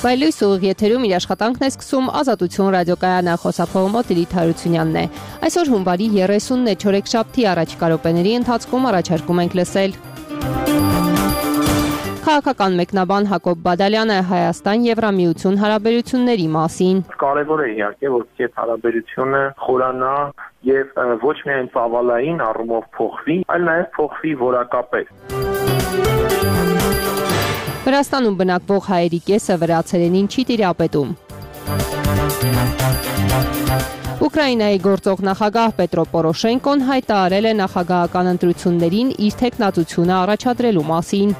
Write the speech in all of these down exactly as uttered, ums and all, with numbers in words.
Բայլույս ուղիղ եթերում իր աշխատանքն է սկսում Ազատություն ռադիոկայանը, խոսափողը Տիրիթ Հարությունյանն է։ Այսօր հունվարի երեսունն է, չորեքշաբթի առաջիկա րոպեների ընթացքում առաջարկում ենք լսել քաղաքական մեկնաբան Հակոբ Բադալյանը Հայաստան-Եվրամիություն հարաբերությունների մասին։ Կարևոր է իհարկե, որ այդ հարաբերությունը խորանա եւ ոչ միայն ծավալային առումով փոխվի, այլ նաեւ փոխվի որակապես։ Վրաստանում բնակվող հայերի կեսը վրացերենին չի տիրապետում։ Ուկրաինայի գործող նախագահ Պետրո Պորոշենկոն հայտարարել է նախագահական ընտրություններին իր թեկնածությունը առաջադրելու մասին։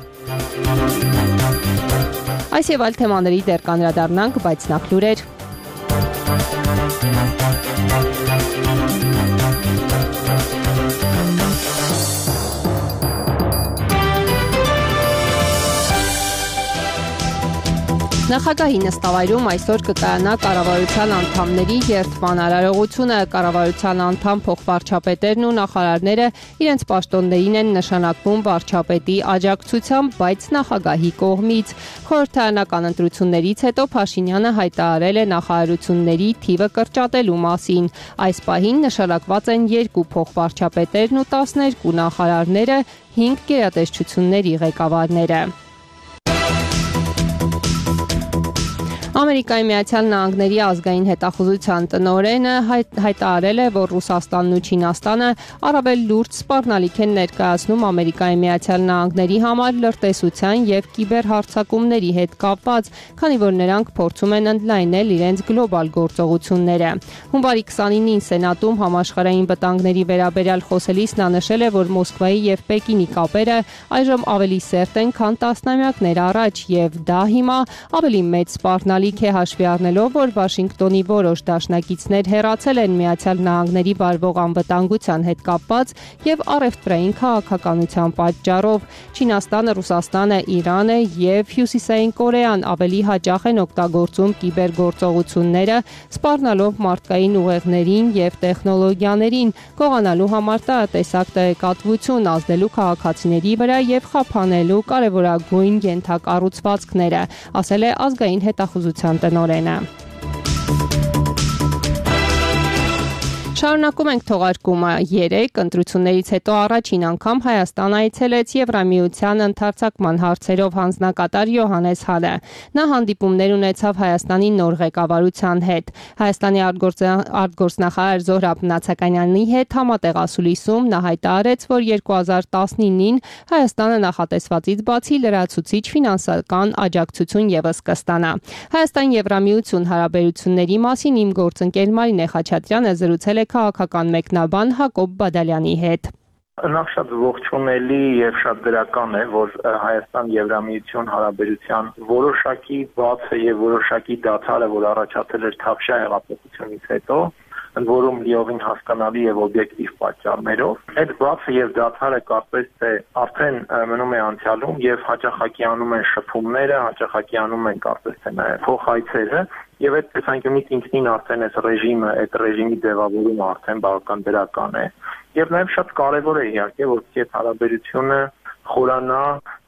Այս եւ այլ թեմաների դեռ կանրադառնանք, բայց նախ լուրեր։ Նախագահի նստավայրում այսօր կկայանա կառավարության անդամների երդման արարողությունը։ Կառավարության անդամ փոխվարչապետերն ու նախարարները իրենց պաշտոններին են նշանակվում վարչապետի աջակցությամբ, բայց նախագահի կողմից։ Խորհրդարանական ընտրություններից հետո Փաշինյանը հայտարարել է նախարարությունների թիվը կրճատելու մասին։ Այս պահին նշանակված են երկու փոխվարչապետերն ու տասներկու նախարարները, հինգ գերատեսչությունների ղեկավարները։ Ամերիկայի Միացյալ Նահանգների ազգային հետախուզության տնօրենը հայտարարել է, որ Ռուսաստանն ու Չինաստանը առավել լուրջ սպառնալիք են ներկայացնում Ամերիկայի Միացյալ Նահանգների համար լրտեսության եւ կիբերհարձակումների հետ կապված, քանի որ նրանք փորձում են ընդլայնել իրենց գլոբալ գործողությունները։ Հունվարի քսանինին Սենատում համաշխարհային վտանգների վերաբերյալ խոսելիս նա նշել է, որ Մոսկվայի եւ Պեկինի կապերը այժմ ավելի սերտ են, քան տասնամյակներ առաջ, եւ դա հիմա ավելի մեծ սպառնալիք է հաշվի առնելով, որ Վաշինգտոնի որոշ դաշնակիցներ հեռացել են Միացյալ Նահանգների վարվող անվտանգության հետ կապված եւ առևտրային քաղաքականության պատճառով։ Չինաստանը, Ռուսաստանը, Իրանը եւ Հյուսիսային Կորեան ավելի հաճախ են օգտագործում կիբերգործողությունները, սպառնալով մարդկային ուղեղներին եւ տեխնոլոգիաներին, գողանալու համար տարատեսակ տեղեկատվություն, ազդելու քաղաքացիների վրա եւ խափանելու կարեւորագույն ենթակառուցվածքները, ասել է ազգային հետախուզության տնօրենը։ Շարունակում ենք թողարկումը։ Երեկ ընտրություններից հետո առաջին անգամ Հայաստան այցելեց Եվրամիության ընդարձակման հարցերով հանձնակատար Յոհաննես Հանը։ Նա հանդիպումներ ունեցավ Հայաստանի նոր ղեկավարության հետ։ Հայաստանի արտգործնախարար Զոհրաբ Նացականյանի հետ համատեղ ասուլիսում նա հայտարարեց, որ երկու հազար տասնինին Հայաստանը նախատեսվածից բացի լրացուցիչ ֆինանսական աջակցություն եւս կստանա։ Հայաստան-Եվրամիություն հարաբերությունների մասին իմ գործընկեր Մարինե Խաչատրյանը զրուցել է քաղաքական մեկնաբան Հակոբ Բադալյանի հետ։ Նախ շատ ողջունելի եւ շատ դրական է, որ Հայաստան-Եվրամիություն հարաբերության որոշակի բացը եւ որոշակի դադարը, որ առաջացել էր Թավշյա հեղափոխությունից հետո, ընդ որում լիովին հասկանալի եւ օբյեկտիվ պատճառներով, այդ բացը եւ դադարը կարծես թե արդեն մնում է անցյալում եւ հաճախակի անում են շփումները, հաճախակի անում են կարծես թե նաեւ փոխայցերը եւ այդ տեսանկյունից ինքնին արդեն այս ռեժիմը, այդ ռեժիմի ձևավորումը արդեն բավական դրական է եւ նաեւ շատ կարեւոր է իհարկե, որ այդ հարաբերությունը խորանա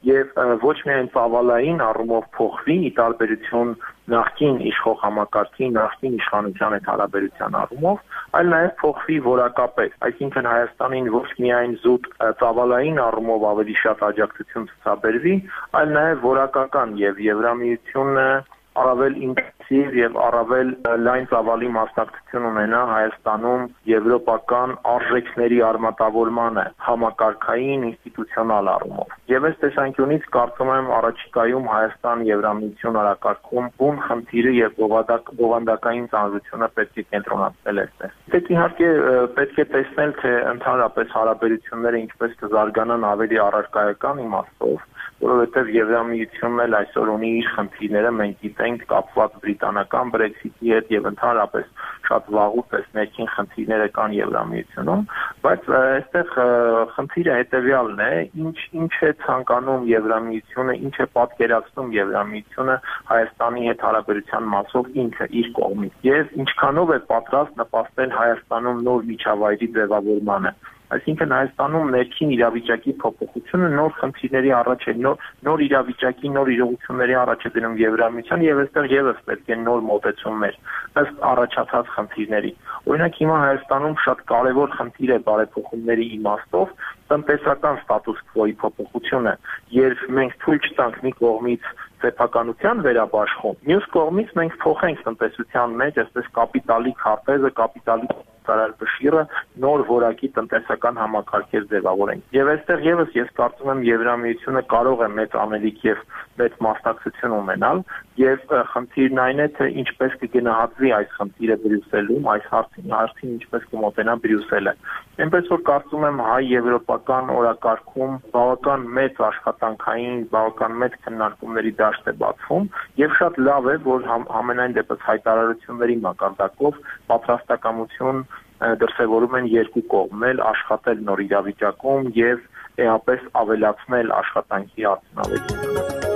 եւ ոչ միայն ծավալային առումով փոխվի ի տարբերություն նախկին իշխող համակարգի, նախկին իշխանության այդ հարաբերության առումով, այլ նաեւ փոխվի որակապես, այսինքն Հայաստանին ոչ միայն զուտ ծավալային առումով ավելի շատ աջակցություն ցուցաբերվի, այլ նաեւ որակական եւ Եվրամիությունը առավել ինտենսիվ եւ առավել լայն ծավալի մասնակցություն ունենա Հայաստանում եվրոպական արժեքների արմատավորմանը համակարգային ինստիտուցիոնալ առումով։ Եվ այս տեսանկյունից կարծում եմ առաջիկայում Հայաստան-Եվրամիություն օրակարգում բուն խնդիրը եւ բովանդակային ծանրությունը պետք է կենտրոնացնել այստեղ։ Դե իհարկե պետք է տեսնել, թե ընդհանրապես հարաբերությունները ինչպես կզարգանան ավելի առարկայական իմաստով, որովհետև Եվրամիությունն էլ այսօր ունի իր խնդիրները, մենք գիտենք կապված բրիտանական Brexit-ի հետ եւ ընդհանրապես շատ վաղուց այս ներքին խնդիրները կան Եվրամիությունում, բայց այստեղ խնդիրը հետեւյալն է, ինչ ինչ է ցանկանում Եվրամիությունը, ինչ է պատկերացնում Եվրամիությունը Հայաստանի հետ հարաբերության մասով ինքը իր կողմից եւ ինչքանով է պատրաստ նպաստել Հայաստանում նոր միջավայրի ձևավորմանը։ Այսինքն Հայաստանում ներքին իրավիճակի փոփոխությունը նոր խնդիրների առաջ է, նոր նոր իրավիճակի, նոր իրողությունների առաջ է դնում Եվրամիության եւ այստեղ եւս պետք է նոր մոտեցումներ ըստ առաջացած խնդիրների։ Օրինակ հիմա Հայաստանում շատ կարևոր խնդիր է բարեփոխումների իմաստով տնտեսական ստատուս քվոյի փոփոխությունը, երբ մենք թույլ չտանք մի կողմից սեփականության վերաբաշխում, մյուս կողմից մենք փոխենք տնտեսության մեջ այսպես կապիտալի քարտեզը, կապիտալի ծառայելը նոր որակի տնտեսական համակարգեր ձևավորենք։ Եվ այստեղ եւս ես կարծում եմ Եվրամիությունը կարող է մեծ անելիք եւ մեծ մասնակցություն ունենալ, եւ խնդիրն այն է, թե ինչպես կգնահատվի այս խնդիրը Բրյուսելում, այս հարցին, հարցին ինչպես կմոտենա Բրյուսելը։ Այնպես որ կարծում եմ հայ-եվրոպական օրակարգում բավական մեծ աշխատանքային, բավական մեծ քննարկումների դաշտ է բացվում, եւ շատ լավ է, որ համ, ամենայն դեպս հայտարարությունների մակարդակով պատրաստակամություն դրսևորում են երկու կողմն աշխատել նոր իրավիճակում եւ էապես ավելացնել աշխատանքի արդյունավետությունը։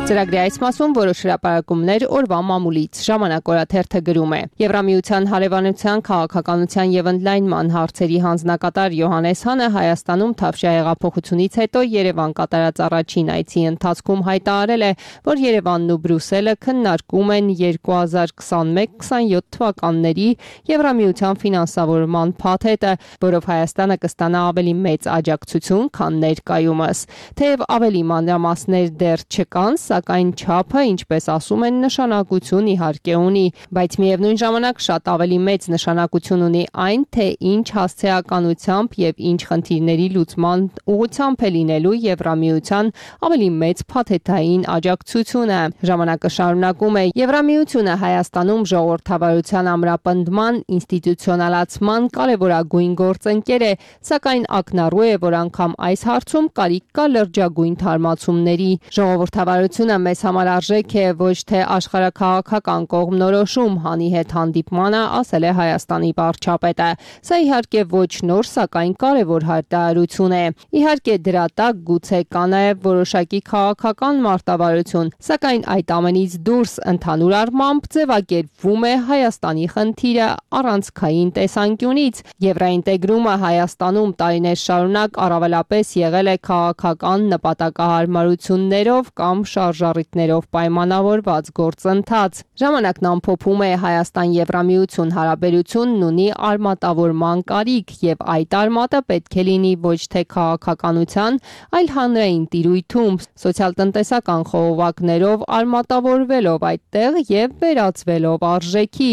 Ծրագրի այս մասում որոշ հրապարակումներ օրվա մամուլից ժամանակ օրաթերթը գրում է. Եվրամիության հարևանության քաղաքականության եւ ընդլայնման հարցերի հանձնակատար Յոհանես Հանը Հայաստանում Թավշյա հեղափոխությունից հետո Երևան կատարած առաջին այցի ընթացքում հայտարարել է, որ Երևանն ու Բրյուսելը քննարկում են երկու հազար քսանմեկ քսանյոթ թվականների Եվրամիության ֆինանսավորման փաթեթը, որով Հայաստանը կստանա ավելի մեծ աջակցություն, քան ներկայումս։ Թեև ավելի մանրամասներ դեռ չկան, սակայն չափը, ինչպես ասում են, նշանակություն իհարկե ունի, բայց միևնույն ժամանակ շատ ավելի մեծ նշանակություն ունի այն, թե ինչ հասցեականությամբ եւ ինչ խնդիրների լուծման ուղղությամբ է լինելու Եվրամիության ավելի մեծ փաթեթային աջակցությունը։ Ժամանակը շարունակում է. Եվրամիությունը Հայաստանում ժողովրդավարության ամրապնդման, ինստիտուցիոնալացման կարևորագույն գործընկեր է, սակայն ակնառու է, որ անգամ այս հարցում կարիք կա լրջագույն թարմացումների։ Ժողովրդավարությունը մեզ համար արժեք է, ոչ թե աշխարհաքաղաքական կողմնորոշում, Հանի հետ հանդիպմանը ասել է Հայաստանի վարչապետը։ Սա իհարկե ոչ նոր, սակայն կարևոր հայտարարություն է։ Իհարկե դրա տակ գուցե կա նաև որոշակի քաղաքական մարտավարություն, սակայն այդ ամենից դուրս ընդհանուր առմամբ ձևակերպվում է Հայաստանի խնդիրը առանցքային տեսանկյունից։ Եվրաինտեգրումը Հայաստանում տարիներ շարունակ առավելապես եղել է քաղաքական նպատակահարմարություններով կամ շարժառիթներով պայմանավորված գործընթաց։ Ժամանակն ամփոփում է Հայաստան-Եվրամիություն հարաբերությունն ունի արմատավորման կարիք եւ այդ արմատը պետք է լինի ոչ թե քաղաքականության, այլ հանրային տիրույթում, սոցիալ-տնտեսական խողովակներով արմատավորվելով այդտեղ եւ վերածվելով արժեքի,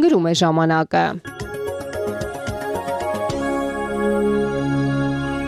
գրում է ժամանակը։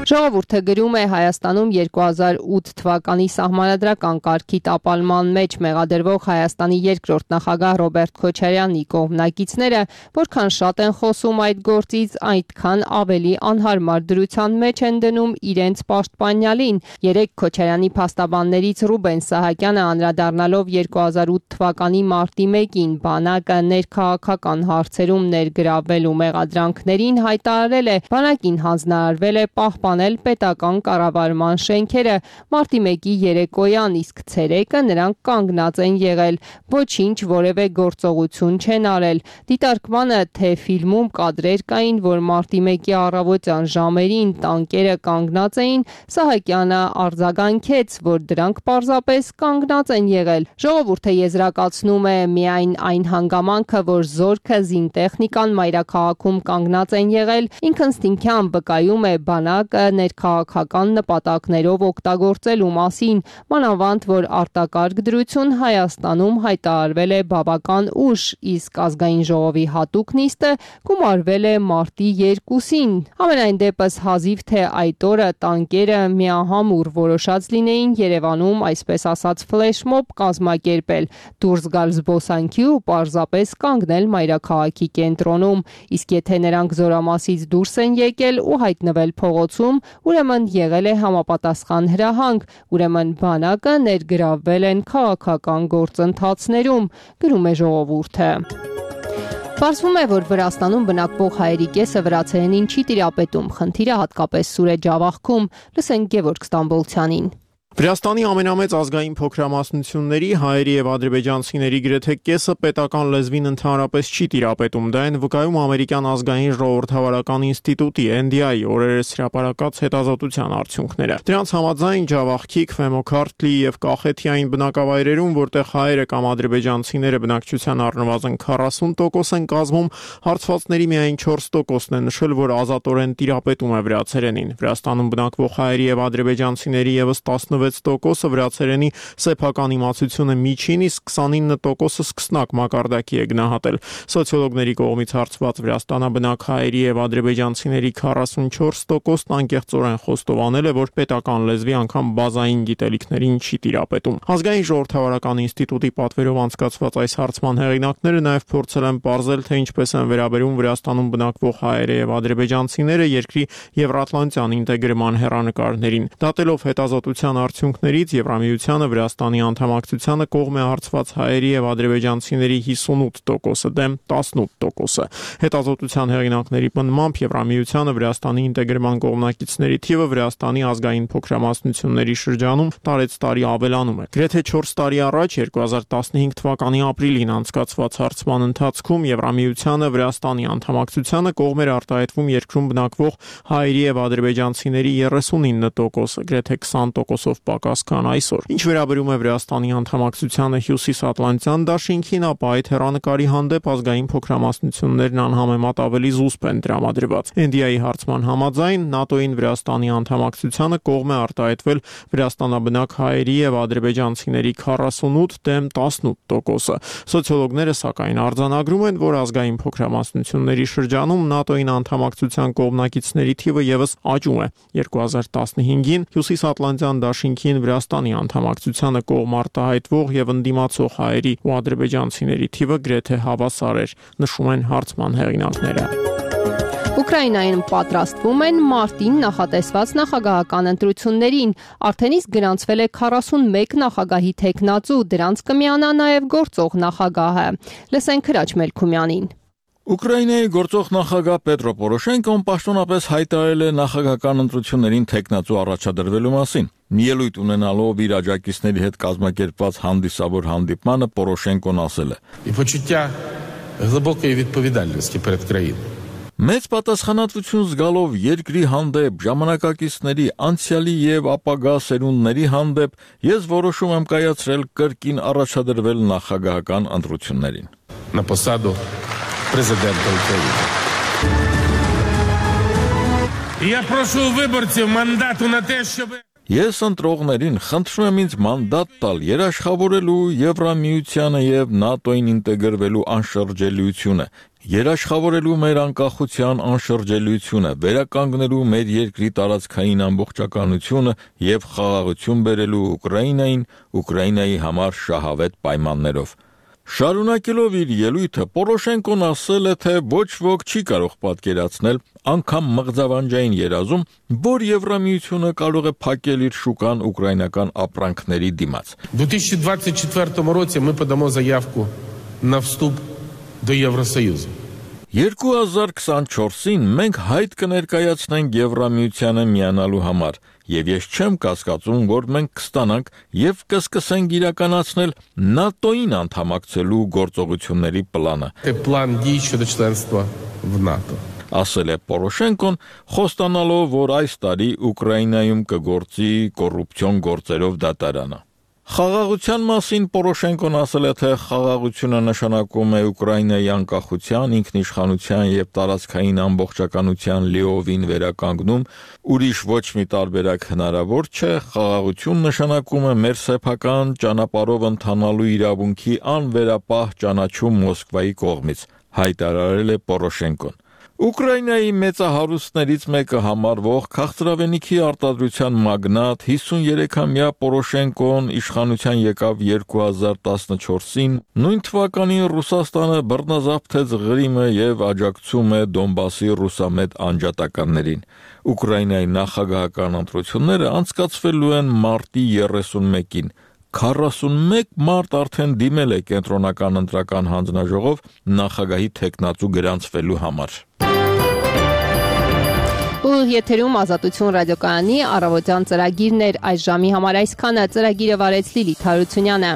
Ժողովուրդը գրում է Հայաստանում երկու հազար ութ թվականի սահմանադրական կարգի տապալման մեջ մեղադրվող Հայաստանի երկրորդ նախագահ Ռոբերտ Քոչարյանի կողմնակիցները, որքան շատ են խոսում այդ գործից, այդքան ավելի անհարմար դրության մեջ են դնում իրենց պաշտպանյալին։ Երեկ Քոչարյանի փաստաբաններից Ռուբեն Սահակյանը անդրադառնալով երկու հազար ութ թվականի մարտի մեկին բանակը ներքաղաքական հարցերում ներգրավվելու մեղադրանքներին հայտարարել է, բանակին հանձնարարվել է պահպանել պետական կառավարման շենքերը մարտի մեկի երեկոյան, իսկ ցերեկը նրանք կանգնած են եղել, ոչինչ որևէ գործողություն չեն արել։ Դիտարկմանը, թե ֆիլմում կադրեր կային, որ մարտի մեկի առավոտյան ժամերին տանկերը կանգնած էին, Սահակյանը արձագանքեց, որ դրանք պարզապես կանգնած են եղել։ Ժողովուրդը եզրակացնում է միայն այն հանգամանքը, որ զորքը զինտեխնիկան մայրաքաղաքում կանգնած են եղել, ինքնըստինքյան վկայում է բանակը ներքաղաքական նպատակներով օգտագործելու մասին, մանավանդ որ արտակարգ դրություն Հայաստանում հայտարարվել է բավական ուշ, իսկ ազգային ժողովի հատուկ նիստը գումարվել է մարտի երկուսին։ Ամենայն դեպս հազիվ թե այդ օրը տանկերը միահամուռ որոշած լինեին Երևանում, այսպես ասած, ֆլեշմոբ կազմակերպել, դուրս գալ զբոսանքի ու պարզապես կանգնել մայրաքաղաքի կենտրոնում, իսկ եթե նրանք զորամասից դուրս են եկել ու հայտնվել փողոցում, ուրեմն եղել է համապատասխան հրահանգ, ուրեմն բանակը ներգրավվել են քաղաքական գործընթացներում, գրում է ժողովուրդը։ Պարզվում է, որ Վրաստանում բնակվող հայերի կեսը վրացերենին չի տիրապետում, խնդիրը հատկապես սուր է Ջավախքում, լսենք Գևորգ Ստամբոլցյանին։ Վրաստանի ամենամեծ ազգային փոքրամասնությունների հայերի եւ ադրբեջանցիների գրեթե կեսը պետական լեզվին ընդհանրապես չի տիրապետում, դա են վկայում ամերիկյան ազգային ժողովրդավարական ինստիտուտի N D I օրերս հրապարակած հետազոտության արդյունքները։ Դրանց համաձայն Ջավախքի, Քվեմոքարթլի եւ Կախեթիային բնակավայրերում, որտեղ հայերը կամ ադրբեջանցիները բնակչության առնվազն քառասուն տոկոս են կազմում, հարցվածների միայն չորս տոկոսն է նշել, որ ազատորեն տիրապետում է վրացերենին։ Վրաստանում բնակվող հայերի եւ ադրբեջանցիների եւս տասնվեց տոկոսը վրացերենի սեփական իմացությունը միջին, իսկ քսանինը տոկոսը սկսնակ մակարդակի է գնահատել։ Սոցիոլոգների կողմից հարցված վրաստանաբնակ հայերի եւ ադրբեջանցիների քառասունչորս տոկոսն անկեղծորեն խոստովանել է, որ պետական լեզվի անգամ բազային գիտելիքներին չի տիրապետում։ Ազգային ժողովրդավարական ինստիտուտի պատվերով անցկացված այս հարցման հեղինակները նաեւ փորձել են պարզել, թե ինչպես են վերաբերում Վրաստանում բնակվող հայերը եւ ադրբեջանցիները երկրի եվրատլանտյան ինտեգրման հեռանկարներին։ Դատելով հետազոտության արդյունքներից Եվրամիությանը Վրաստանի անդամակցությանը կողմ է հարցված հայերի եւ ադրբեջանցիների հիսունութ տոկոսը դեմ տասնութ տոկոսը։ Հետազոտության հեղինակների պնդմամբ Եվրամիությանը Վրաստանի ինտեգրման կողմնակիցների թիվը Վրաստանի ազգային փոքրամասնությունների շրջանում տարեցտարի ավելանում է։ Գրեթե չորս տարի առաջ երկու հազար տասնհինգ թվականի ապրիլին անցկացված հարցման ընթացքում Եվրամիությանը Վրաստանի անդամակցությանը կողմ էր արտահայտվում երկրում բնակվող հայերի եւ ադրբեջանցիների երեսունինը տոկոսը, գրեթե քսան տոկոսով պակաս քան այսօր։ Ինչ վերաբերում է Վրաստանի անդամակցությանը Հյուսիսատլանտյան դաշինքին, ապա այդ հեռանկարի հանդեպ ազգային փոքրամասնություններն անհամեմատ ավելի զուսպ են տրամադրված։ N D I-ի հարցման համաձայն ՆԱՏՕ-ին Վրաստանի անդամակցությանը կողմ է արտահայտվել վրաստանաբնակ հայերի եւ ադրբեջանցիների քառասունութ դեմ տասնութ տոկոսը։ Սոցիոլոգները սակայն արձանագրում են, որ ազգային փոքրամասնությունների շրջանում ՆԱՏՕ-ին անդամակցության կողմնակիցների թիվը եւս աճում է։ երկու հազար տասնհինգին Հյուսիսատլանտյան դաշինքին Վրաստանի անդամակցությանը կողմ արտահայտվող եւ ընդդիմացող հայերի ու ադրբեջանցիների թիվը գրեթե հավասար էր, նշում են հարցման հեղինակները։ Ուկրաինայում պատրաստվում են մարտին նախատեսված նախագահական ընտրություններին։ Արդեն իսկ գրանցվել է քառասունմեկ նախագահի թեկնածու, դրանց կմիանա նաև գործող նախագահը։ Լսենք Հրաչ Մելքումյանին։ Ուկրաինայի գործող նախագահ Պետրո Պորոշենկոն պաշտոնապես հայտարարել է նախագահական ընտրություններին թեկնածու առաջադրվելու մասին։ Ելույթ ունենալով իր աջակիցների հետ կազմակերպված հանդիսավոր հանդիպմանը Պորոշենկոն ասել է. Մեծ պատասխանատվություն զգալով երկրի հանդեպ, ժամանակակիցների, անցյալի եւ ապագա սերունդների հանդեպ, ես որոշում եմ կայացրել կրկին առաջադրվել նախագահական ընտրություններին։ На посаду президента України. Я прошу виборців мандату на те, щоб Ես ընտրողներին խնդրում եմ ինձ մանդատ տալ երաշխավորելու Եվրամիությանը եւ ՆԱՏՕ-ին ինտեգրվելու անշրջելիությունը, երաշխավորելու մեր անկախության անշրջելիությունը, վերականգնելու մեր երկրի տարածքային ամբողջականությունը եւ խաղաղություն բերելու Ուկրաինային, Ուկրաինայի համար շահավետ պայմաններով։ Շարունակելով իր ելույթը Պորոշենկոն ասել է, թե ոչ ոք չի կարող պատկերացնել անգամ մղձավանջային երազում, որ Եվրամիությունը կարող է փակել իր շուկան ուկրաինական ապրանքների դիմաց։ В две тысячи двадцать четвёртом році ми подамо заявку на вступ до Євросоюзу. երկու հազար քսանչորսին մենք հայտ կներկայացնենք Եվրամիությանը միանալու համար, եւ ես չեմ կասկածում, որ մենք կստանանք եւ կսկսենք իրականացնել ՆԱՏՕ-ին անդամակցելու գործողությունների պլանը։ План дій щодо членства в НАТО. Ասել է Պորոշենկոն, խոստանալով, որ այս տարի Ուկրաինայում կգործի կոռուպցիոն գործերով դատարանը։ Խաղաղության մասին Պորոշենկոն ասել է, թե խաղաղությունը նշանակում է Ուկրաինայի անկախության, ինքնիշխանության եւ տարածքային ամբողջականության լիովին վերականգնում, ուրիշ ոչ մի տարբերակ հնարավոր չէ, խաղաղություն նշանակում է մեր սեփական ճանապարհով ընթանալու իրավունքի անվերապահ ճանաչում Մոսկվայի կողմից, հայտարարել է Պորոշենկոն։ Ուկրաինայի մեծահարուստներից մեկը համարվող քաղցրավենիքի արտադրության մագնատ հիսուներեքամյա Պորոշենկոն իշխանության եկավ երկու հազար տասնչորսին, նույն թվականին Ռուսաստանը բռնազավթեց Ղրիմը եւ աջակցում է Դոնբասի ռուսամետ անջատականներին։ Ուկրաինայի նախագահական ընտրությունները անցկացվելու են մարտի երեսունմեկին։ քառասունմեկ մարդ արդեն դիմել է կենտրոնական ընտրական հանձնաժողով նախագահի թեկնածու գրանցվելու համար։ Ու Ուղիղ եթերում Ազատություն ռադիոկայանի առավոտյան ծրագիրներ այս ժամի համար այսքանը ծրագիրը վարեց Լիլիթ Հարությունյանը։